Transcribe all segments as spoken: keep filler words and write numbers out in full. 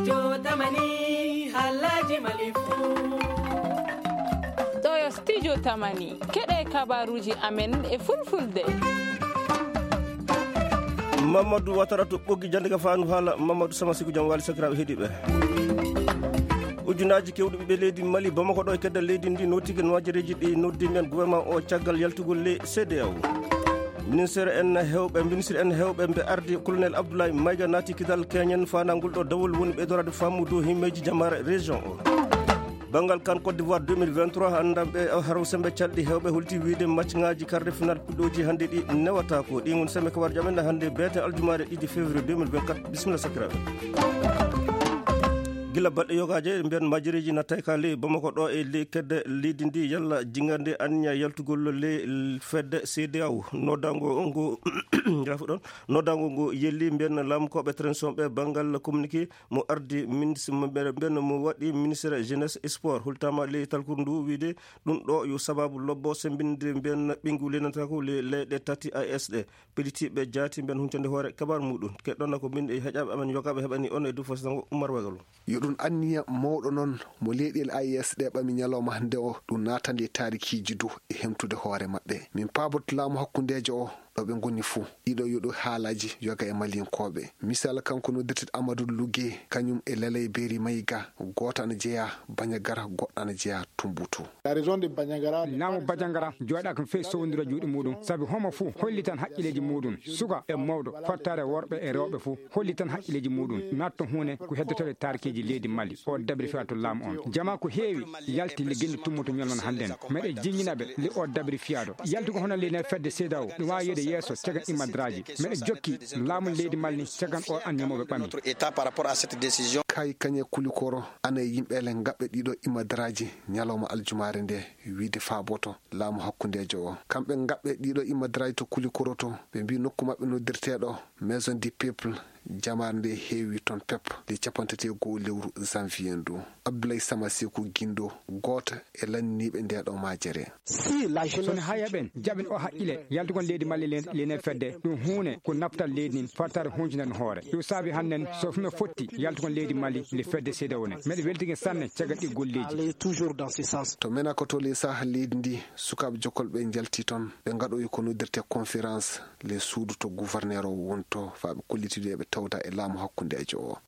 Jotamani, halaji malifu. Ɗo yo studio Tamani, keɗe kabaruji amen e fulfulde. Mamadou Watara to ɓoggi jande ka fandu haala. Mamadou Sama Siku, jam wali sakiraɓe heɗiɓe. Ujunaji kewɗi ɓiɓɓe leydi Mali, Bamako ɗo e kedda leydi ndi, notike noajereji ɗi noddi men gouvernement o caggal yaltugol le C D A O. Ministre en hewɓe, ministre en hewɓe mbe ardi, Colonel Abdoulaye Maïga naati kidal keñen fanangol ɗo dawol woni ɓeydorade faamu dow himmeji jamare région o. Banngal kan Côte d'Ivoire deux mille vingt-trois, anndanɓe haro sembe calɗi hewɓe holti wiide match ngaji quart de finale puɗɗoji hannde ɗi newatako. Ɗi woni sembe kabarjo amen hannde beete aljumare ɗiɗi février deux mille vingt-quatre. Bisimilla sakiraɓe. Gila balɗe yogaje mbiyan majireji nattay ka ley Bamako ɗo e ley kedde leydi ndi, yalla jingande anniya yaltugol ley fedde C D A O. Noddango ngo, gafu ɗon, noddango ngo yelli mbiyan laamukoɓe transition ɓe banngal communiqué mo ardi ministre, mo ɓe-, ɓen mo waɗi ministre jeunesse et sport, hultama ley talkuru ndu wiide ɗum ɗo yo sababu lobbo sembinde mbiyan ɓingu lenatako le-, leyɗe tati A E S ɗe, pelitiɓe jaati mbiyan huncande hoore kabar muɗum. Keɗɗon ko min e heƴaɓe amen yogaɓe heɓani on e du fositango Umar Wagalo. Yo ɗum anniya mawɗo noon mo leyɗeele A E S ɗe ɓami ñalawma hannde o, ɗum naatande e taarikiiji du e hemtude hoore maɓɓe. Min paaboto laamu hakkundeejo o ɗo ɓe ngoni fuu. Ɗiɗo yo ɗo haalaji yoga e Maliyankooɓe. Misal kanko noddirteɗo Amadou Lugue, kañum e Lalay Beri Maïga, gooto ana jeyaa Bandiagara, goɗɗo ana jeyaa Tombouctou. Laamu Bandiagara jooɗaaka fey sowndira juuɗe muɗum, sabi homo fuu hollitan haqqileeji muɗum. Suka e mawɗo, fottaare worɓe e rewɓe fuu hollitan haqqileeji muɗum. Natto huune ko heddotoɗe taarikeeji leydi Mali. O dabri fiya to laamu on. Jama ko heewi yalti le genndi tummoto ñalon hannden. Meɗe jiññina ɓe le o dabri fiyaado. Yaltugo hono le ne fedde C D A O, ɗum waawi yeede yeeso cagan imadraaji. Meɗe jokki laamu leydi Mali cagan o an ñamooɓe ɓami. Kay kañe Kulikoro, ana e yimɓe le ngaɓɓe ɗiɗo imadraaji ñalawma aljumaare nde, wiide faaboto laamu hakkundeejo o. Kamɓe ngaɓɓe ɗiɗo imadraaji to Kulikoro to, ɓe mbi nokku maɓɓe noddirteeɗo Maison du Peuple, jamaare nde heewi toon pep, le capanɗe tati e go'o lewru janvier ndu. Abdoulaye Sama Seku Gindo, gooto e lanndiniiɓe nde ɗo majere. Sono haya ɓen jaɓin o haqqile, yaltugol leydi Mali le-, lene fedde, ɗum huune ko naftal leydi ndin, fartaare huncunande hoore. Ɗum saabi hannden, so fume fotti, yaltugol leydi Mali le fedde C D A O ne. Meɗe weltike sanne caggal ɗi golleeji. To Menako to le saha leydi ndi, sukaaɓe jokolɓe njalti toon, ɓe ngaɗoyi ko noddirte conférence, le suudu to gouverneur o wonto, faa ɓe kollitide ɓe tawda e laamu hakkundeejo o.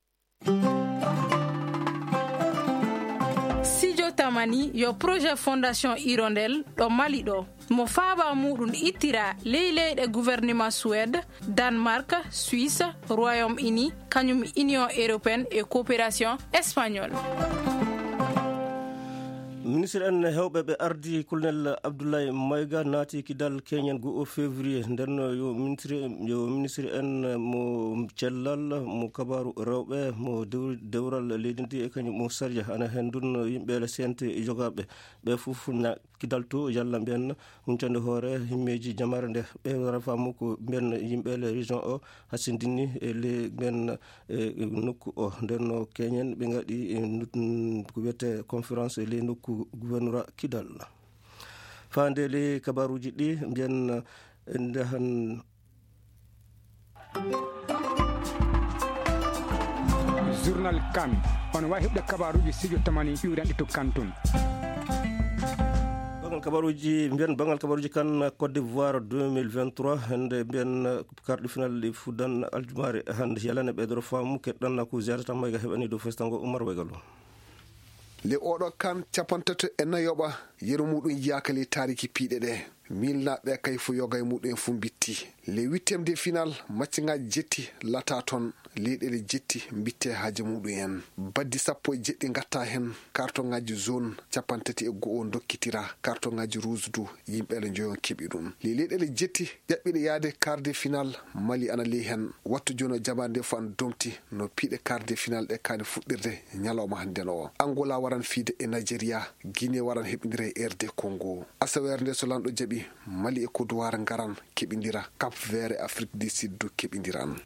Sijo Tamani yo projet Fondation Hirondelle ɗo Mali ɗo. Mo faaba muɗum ittira ley leyɗe gouvernement Suède, Danemark, Suisse, Royaume-Uni, kañum Union Européenne et Coopération Espagnole. Ministre en hewɓe ɓe ardi Colonel Abdoulaye Maïga naati kidal keñen go o février. Nden yo ministre, yo ministre en mo cellal, mo kabaru rewɓe, mo dew-, dewral leydi ndi e kañum mo sarja. Ana hen ndun yimɓe le C N T jogaɓe. Ɓe fof na kidal to yalla mbiyen huncande hoore himmeeji jamaare nde. Ɓe wara faamu ko mbiyen yimɓe le région o hasindini e le mbiyen e nokku o. Nden no keñen ɓe ngaɗi e nut-, ko wiyete conférence e le nokku gouvernorat Kidal. Faande le kabaruji ɗi mbiyen nde han. Journal Kan. On waawi heɓde kabaaruuji studio Tamani ƴuuranɗe to Kan tun. Bangal kabaaruuji, mbiyen bangal kabaaruuji Kan Côte d'Ivoire deux mille vingt-trois, hannde mbiyen karɗi final ɗi fuddan aljumaare hannde. Yalane ɓeydoro faamu keɗɗan ko ziyara tan mayga heɓani dow festango Umar Wegalo. Le oɗo Kan capantato e nayoɓa, yeru muɗum yiyaka le taariki piiɗe ɗe. Miilnaaɓe kay fo yoga e muɗum en fo mbitti. Le huitième de final, match ngaji jetti lata toon, leyɗeele jetti mbitte haaje muɗum en. Baddi sappo e jeɗɗi ngatta hen, kartoŋaaji jaune capanɗe tati e go'o dokkitira, kartoŋaaji rouge du yimɓeele njoyon keɓi ɗum. Le leyɗeele jetti ƴaɓɓiɗe yaade quart de final, Mali ana ley hen. Wattu jooni o jamaande fof ana domti no piiɗe quart de final ɗe kaani fuɗɗirde ñalawma hannde o. Angola waran fiide e Nigeria, Guinée waran heɓindira e R D Congo. Asaweere nde so lanɗo jaɓi, Mali e Côte d'Ivoire ngaran keɓindira Cap Vert e Afrique du Sud du keɓindiran.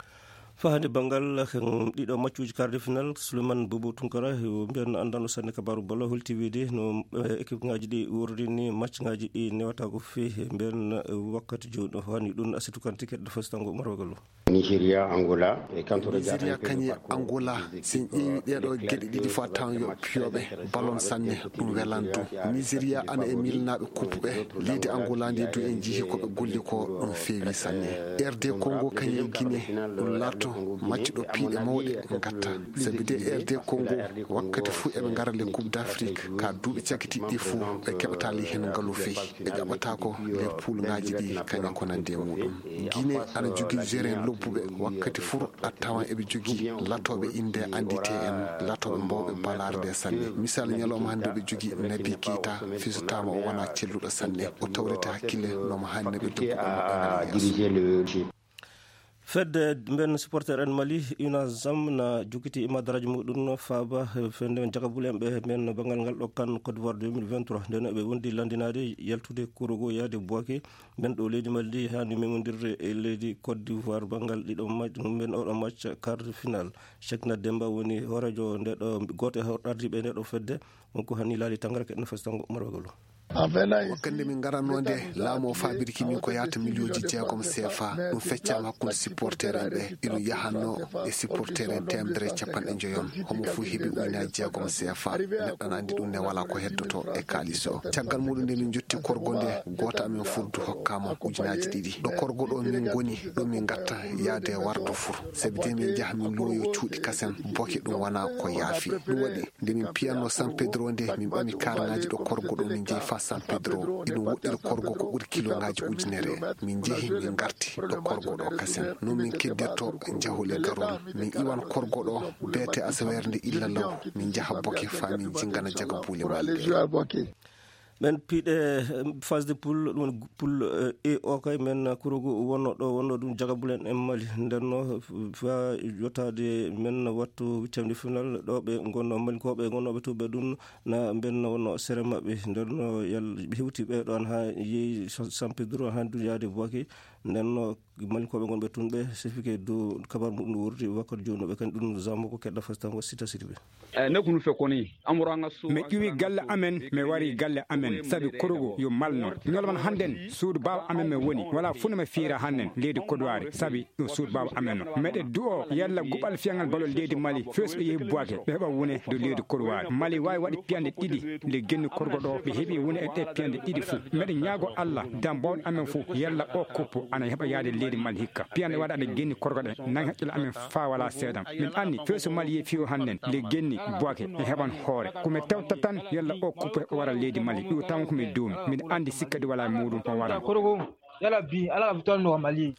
Pahani banngal, hmm, ɗiɗo maccuuji quart de finale, Souleymane Bobo Tunkara, o mbiyan anndano sanne kabaaru bolo, holti wiide no, eh, équipe ŋaaji ɗi wuurdi ni, match ŋaaji ɗi newata ko feewi, mbiyan, eh, wakkati jooni o hani ɗum Asitu Kante keɗɗo fasitango Marogalo. Nigeria, Angola, e kanto Nigeria kañe Angola, si en ƴeewi ɗeɗo geɗe ɗiɗi fof a tawan yo piyoɓe ballon sanne, ɗum welan du. Nigeria ana e milnaaɓe coupe ɓe, leydi Angola ndi du en jihi ko ɓe golli ko ɗum feewi sanne. R D Congo kañe Guinée, ɗum laarto maccuɗo piiɗe mawɗe ngatta. Sabi de R D Congo wakkati fuu eɓe ngara le Coupe d'Afrique, ka duuɓi cakitiiɗi ɗi fuu ɓe keɓata le heen ngalu fey. Ɓe ƴaɓata ko le poule ŋaaji ɗi kañe ko nande e muɗum. Guinée ana jogii jerin lobbuɓe wakkati fuu a tawan eɓe jogii latooɓe innde anndite en, latooɓe mawɓe balaare nde sanne. Misal ñalawma hannde ɓe jogii Nabi Keita, fisotaama o wona celluɗo sanne. O tawrete hakkille no mo haani no ɓe dogguɗo mo ɗo ngal yeeso. Fedde mben supporter en Mali, UNASAM, na jokiti e madaraaji muɗum no faaba fende jagabule en ɓe men banngal ngal ɗo kan Côte d'Ivoire deux mille vingt-trois. Nden ɓe wondi landinaade yaltude Kourougo yaade Bouaké, men ɗo leydi Mali ndi, haani memondirde e leydi Côte d'Ivoire banngal ɗiɗo ma-, men oɗo match quart de finale. Cheikhna Demba woni hooreejo nde ɗo, gooto e ardiiɓe nde ɗo fedde, won ko hani laali tangara keɗno fes tango Umar Wagalo. Wakkati nde min ngaranno nde, laamu o faabirki min ko yahata miliyooji jeegom C F A. Ɗum feccaama hakkunde supporter en ɓe. Iɗum yahanno e supporter en teemedere e capanɗe njoyon. Homo fuu heɓi ujunaaji jeegom C F A. Neɗɗo na anndi ɗum ne wala ko heddoto e kaalis o. Caggal muɗum nde min jotti korgo nde, gooto amen furdu hokkama ujunaaji ɗiɗi. Ɗo korgo ɗo min ngoni, ɗo min ngatta yaade wardo fur. Sabi de min njaha min looyo cuuɗi kasen, boke ɗum wana ko yaafi. Ɗum waɗi nde min piyanno San Pedro nde, min ɓami karŋaaji ɗo korgo ɗo, min njehi faa San Pedro. Iɗum woɗɗiri korgo ko ɓuri kiloŋaaji ujunere. Min njehi, min ngarti ɗo korgo ɗo kasen. Non min keddirto jahule garol. Min iwan korgo ɗo beete asaweere nde illa law. Min njaha boke faa min jingana jaga buule maɓɓe. Ɓen piiɗe, eh, phase de poule, ɗum woni poule, eh, E o kay, men kurogu wonno ɗo, wonno ɗum jagabulen en Mali. Nden no, fa yottaade men wattu huitième de finale, ɗo ɓe ngonno, Malinkooɓe ngonnooɓe to ɓe ɗum, na mben no wonno sere maɓɓe. Nden no yal-, ɓe hewti ɓe ɗon haa yehi Sa-, San Pedro, haa ndu yaade Bouaké. Nden no Malinkooɓe ngonɓe tun ɓe sefike dow kabar muɗum no wordi wakkati jooni no ɓe kan ɗum zamo ko keɗɗa fas tan ko sita sidi ɓe. Eh, ne kunu fe koni, amuranga su- Mi ƴuwi galle amen, mi wari galle amen, sabi kurugu yo malno. Ñolman hannden, suudu baaba amen mi woni, wala fu no mi fiira hannden, leydi Kodowari, sabi ɗum suudu baaba amen no. Meɗe du'o, yalla guɓal fiyangal balol leydi Mali, fees ɓe yehi Buwake, ɓe heɓa wune dow leydi Kodowari. Mali waawi waɗi piyande ɗiɗi, le genni korgo ɗo, ɓe heɓi wune e ɗe piyande ɗiɗi fu. Meɗe ñaago Alla, dam bawɗo amen fu, yalla o kuppu, ana heɓa yaade leydi Mali hikka. Piyande waɗa ɗe genni korgo ɗe, nan haqqille amen faa wala seedan. Min anndi, feesu Mali yehi fiyo hannden, le genni Buwake, e heɓan hoore. Ko mi tewta tan, yalla o kuppu heɓa wara leydi Mali. Ɗum tan ko mi duumi. Miɗo anndi sikka ɗi wala e muɗum, o waran. Korgo, yalla bi, ala ka fitan no Mali.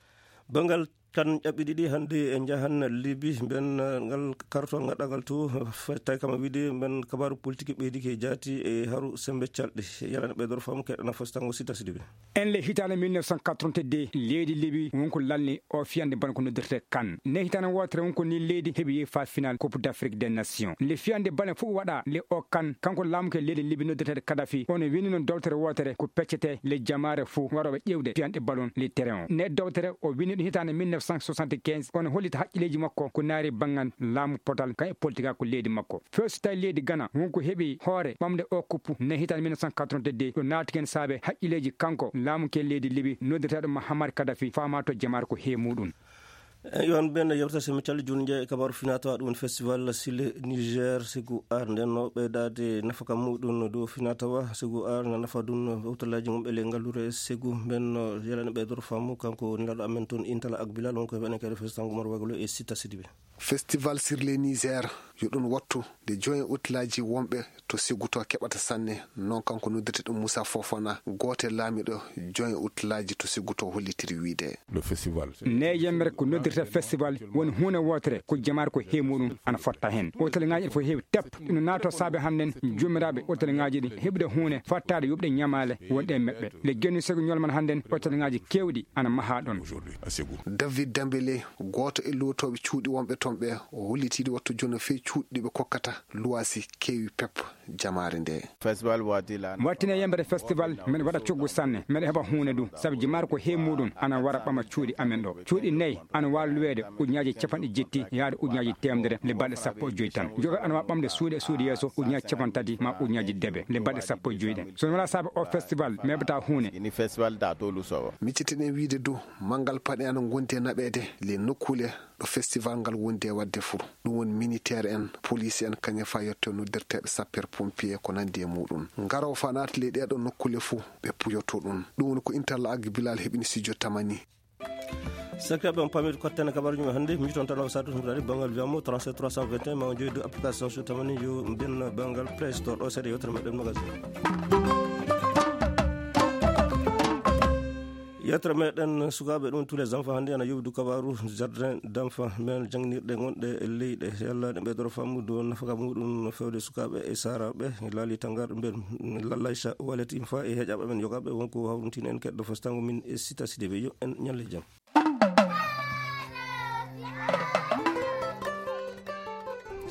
Bangal kan ƴaɓɓi ɗiɗi hannde e njahan Libi, mben, eh, ngal kartol ngaɗɗangal to, f-, tawi kam wiide mben kabaaru politique ɓeydike jaati e haru sembe calɗi. Yalana ɓe dor fam keɗana fos tango sita sidi ɓe. En le hitaande mille neuf cent quatre-vingt-deux, leydi Libi won ko lalni o fiyande bana ko noddirte kan. Ne hitaande wootere won ko ni leydi heɓi yehi fa final Coupe d'Afrique des Nations. Le fiyande bana fof waɗa le o kan, kanko laamuke leydi Libi noddirteɗo Kadhafi, ono winni noon dowtere wootere ko peccete le jamaare fof waroɓe ƴeewde fiyande ballon le terrain o. Ne dowtere o winni ɗum hitaande mille neuf cent soixante-quinze, ono hollita haqqilleeji makko ko naari banngal laamu potal kan e politique ko leydi makko. First tawi leydi Ghana, wonko heɓi hoore ɓamde o kuppu ne hitaande mille neuf cent quatre-vingt-deux, ɗo naati ken saabe haqqilleeji kanko laamu ke leydi Libi, noddirteeɗo Muammar Kadhafi, faama to jamaare ko he muɗum. Eh, yo on ɓen yewta semi calli jooni jeeya e kabaaru finatawa ɗum festival Sile Niger Segu Art. Nden no ɓeydaade nafaka muɗum dow finatawa Segu Art na nafa ɗum hewtalaji mum e le ngallure Segu. Ɓen no yalani ɓe dor famu kanko nelaɗo amen toon Intala ak Bilal, wonko heɓene kadi festival Ngumar Waglo e Sita Sidibe. Festival sur le Niger, yo ɗum wattu nde joint hôtellerie wonɓe to Seguto keɓata sanne. Non kanko noddirte ɗum Moussa Fofana, gooto e laamiɗo joint hôtellerie to Seguto hollitiri wiide. Le festival. Ne yemre ko noddirte festival woni huunde wootere ko jamaare ko heewi muɗum ana fotta heen. Hôtellerie ene fof heewi tep. Ina naato saabe hannden joomiraaɓe hôtellerie ɗi heɓude huunde fottaade yoɓde ñamaale wonɗe e maɓɓe. Le gennu sego ñolman hannden hôtellerie keewɗi ana mahaa ɗon. Aujourd'hui, à Ségou. David Dembélé, gooto e lootooɓe cuuɗi wonɓe toon ɓe, o hollitiiɗo wattu jono fey cuuɗi ɗi ɓe kokkata luwaasi keewi pep. jamaare nde. Festival waati lan. Wattine yembere festival, men waɗa coggu sanne, men heɓa huunde du, sabu jimaare ko he muɗum ana wara ɓama cuuɗi amen ɗo. Cuuɗi nayi ana waawi luweede ujunnaaji capanɗe jetti yaade ujunnaaji teemedere le balɗe sappo e joy tan. Joga ana waawi ɓamde suuɗe suuɗi yeeso ujunnaaji capanɗe tati ma ujunnaaji debe le balɗe sappo e joy ɗen. So wala saabe o festival, meɓata huunde. Ini festival da tolu sowo. Miccitiɗen wiide du, manngal paɗe ana ngondi e naɓeede le nokkuule ɗo festival ngal wondi e waɗde fuu. Ɗum woni militaire en, police en, kañum fa yetto noddirteeɓe sapeur pompier ko nandi e muɗum. Ngaro fa naati ley ɗeɗo nokkule fuu, ɓe puyoto ɗum. Ɗum woni ko Interlac Bilal heɓini studio Tamani. Sekreɓe on pamir kotten kabaruji men hannde, miton tan o satu tumtari bangal wiyamo trente-sept trois cent vingt et un, ma o joyi du application so Tamani yo mbiyen bangal Play Store ɗo seeɗa yewtere meɗen magasin. Yettere meɗen sukaaɓe ɗum tous les enfants hannde ana yowdu kabaru jardin d'enfants men jangnirɗe gonɗe e leyɗe. Yalla ɗe ɓeydoro faamu dow nafaka muɗum fewde sukaaɓe e saaraaɓe laali tangarɗe mben. Lallaysa waleti fa e heƴaɓe men yogaɓe wonko hawruntini en keɗɗo fostango min e sita sideɓe yo en ñalle jam.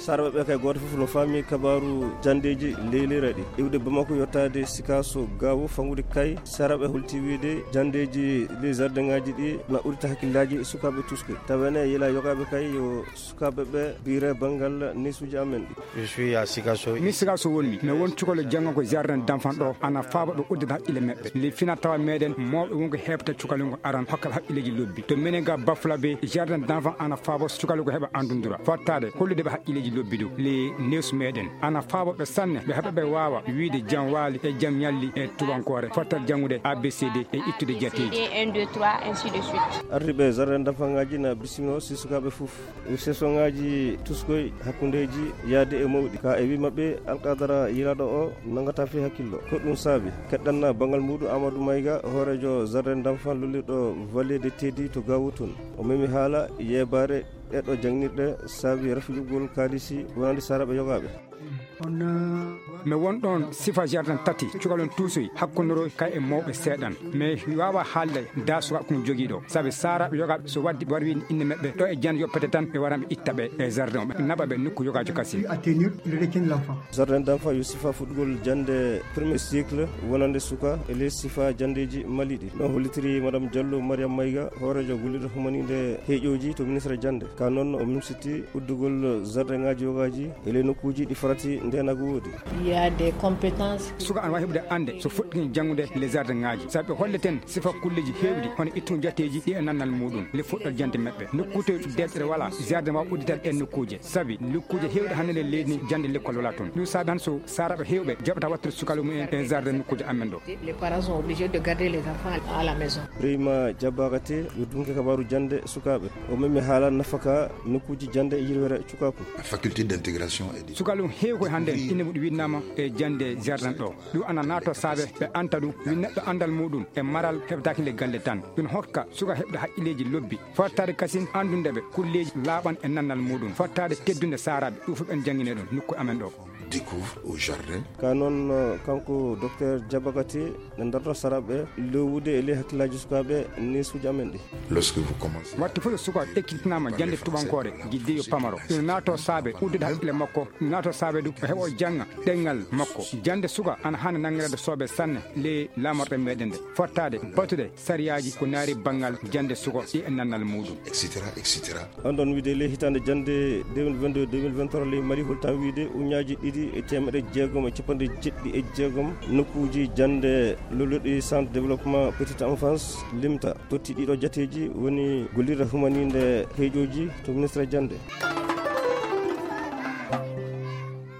Saraɓe ɓe kay gooto fof no faami kabaaru janndeeji leyliraɗi iwde Bamako yottaade Sikaso Gaawo fangude kay. Saraɓe holti wiide janndeeji ɗi jardin ŋaaji ɗi na ɓurita hakkillaaji sukaaɓe tuskoy. Tawene yila yogaaɓe kay yo sukaaɓe ɓe biire banngal neesuuji amen ɗi. Je suis à Sikasso. Mi Sikasso wonmi. Mi won cukalo janngo ko jardin d'enfant ɗo ana faaba ɓe uddata haqqille maɓɓe. Li fina tawa meɗen mawɓe wonko heɓta cukalo ngo aran hokka ɓe haqqilleji lobbi. To minen ga Bafla be jardin d'enfant ana faaba cukalo ko heɓa andundura. Fottade hollude ɓe haqqilleji lobbi du. Li news meɗen ana faaba ɓe sanne ɓe heɓa ɓe waawa wiide jam waali e jam ñalli e tubankore. Fottal janngude A B C D e ittude jateeji. C D un, deux, trois, ainsi de suite. Ardiɓe jardin d'enfant ngaji na bisimino si sukaaɓe fof. Sesonŋaaji tuskoy hakkundeeji yaade e mawɗi. Ka e wi maɓɓe alqadara yilaaɗo o nangata fi hakkillo. Ko ɗum saabi keɗɗanna bangal muɗum Amadou Mayga, hoorejo jardin d'enfant lullirɗo Vallée de Teddy to Gaawo toon. O memi haala yeebaare ɗeɗo jangnirɗe saabi rafiɗugol kaalisi wonande saraɓe yogaaɓe. Mi won ɗon sifa jardin tati, cukalon tuusoy, hakkundoro kay e mawɓe seeɗan. Mais mi waawa haalde da suka kun jogiiɗo, sabi saaraaɓe yogaaɓe so waddi war wiin inne maɓɓe ɗo e jan yoppete tan ɓe waran ɓe itta ɓe e jardin o, ɓe naɓa ɓe nokku yogaajo kasin. Jardin d'enfant yo sifa fuɗɗugol jannde premier cycle wonande suka e ley sifa janndeeji maliɗi. No hollitiri Madame Diallo Mariam Mayga, hoorejo gollirɗo humaninde heeƴooji to ministre jannde. Ka noon o mimsiti uddugol jardin ŋaaji yogaaji e ley nokkuuji ɗi farati ndeenagu woodi. Il y a des compétences. Suka ana waawi heɓude annde so fuɗɗii janngude les jardin ŋaaji. Sabi ɓe holleten sifa kulleeji heewɗi hono ittugo jateeji ɗi e nannal muɗum le fuɗɗal jannde maɓɓe. Nokkuuje deeƴere wala jardin waawa uddital ɗen nokkuuje. Sabi nokkuuje heewɗe hannde nder leydi ndi jannde lekkol wala toon. Ɗum saabi han so saaraaɓe heewɓe jaɓata wattude sukalu mumen e jardin nokkuuje amen ɗo. Les parents sont obligés de garder les enfants à la maison. Ibrahima Diabakate yo dunke kabaaru jannde sukaaɓe. O memi haala nafaka nokkuuji jannde e yirwere cukaaku. Faculté d'intégration et de. Sukalu heewi koye hannde ine muɗi winnama e jannde jardin ɗo. Ɗum ana naato saabe ɓe anta ɗum wi neɗɗo anndal muɗum e maral heɓtaaki nde galle tan. Ɗum hokka suka heɓde haqqilleeji lobbi. Fottaade kasin anndunde ɓe kulleeji laaɓan e nannal muɗum. Fottaade teddunde saaraaɓe ɗum fof ɓen janngine ɗum nokku amen ɗo. Découvre au jardin. Ka noon, eh, kanko docteur Diabakate ne darto saraɓe lowude e ley hakkillaaji sukaaɓe neesuuji amen ɗi. Lorsque vous commencez. Wattu fof so suka ekkitinama jannde tubankore, jidde yo pamaro. Ɗum naato saabe uddude hakkille makko, ɗum naato saabe du o heɓa o jannga ɗemngal makko. Jannde suka ana haani nanngireede soobe sanne ley laamorɗe meɗen ɗe. Fottaade, batude sariyaaji ko naari banngal jannde suka ɗi e nannal muɗum. Et cetera, et cetera. On ɗon wiide ley hitaande jannde deux mille vingt-deux deux mille vingt-trois ley Mali holtan wiide uñaaji ɗiɗi e teemeɗe jeegom e capanɗe jeɗɗi e jeegom nokkuuji jannde lolluɗi centre développement petite enfance limta. Totti ɗiɗo jateeji woni gollirde humaninde heeƴooji to ministre jannde.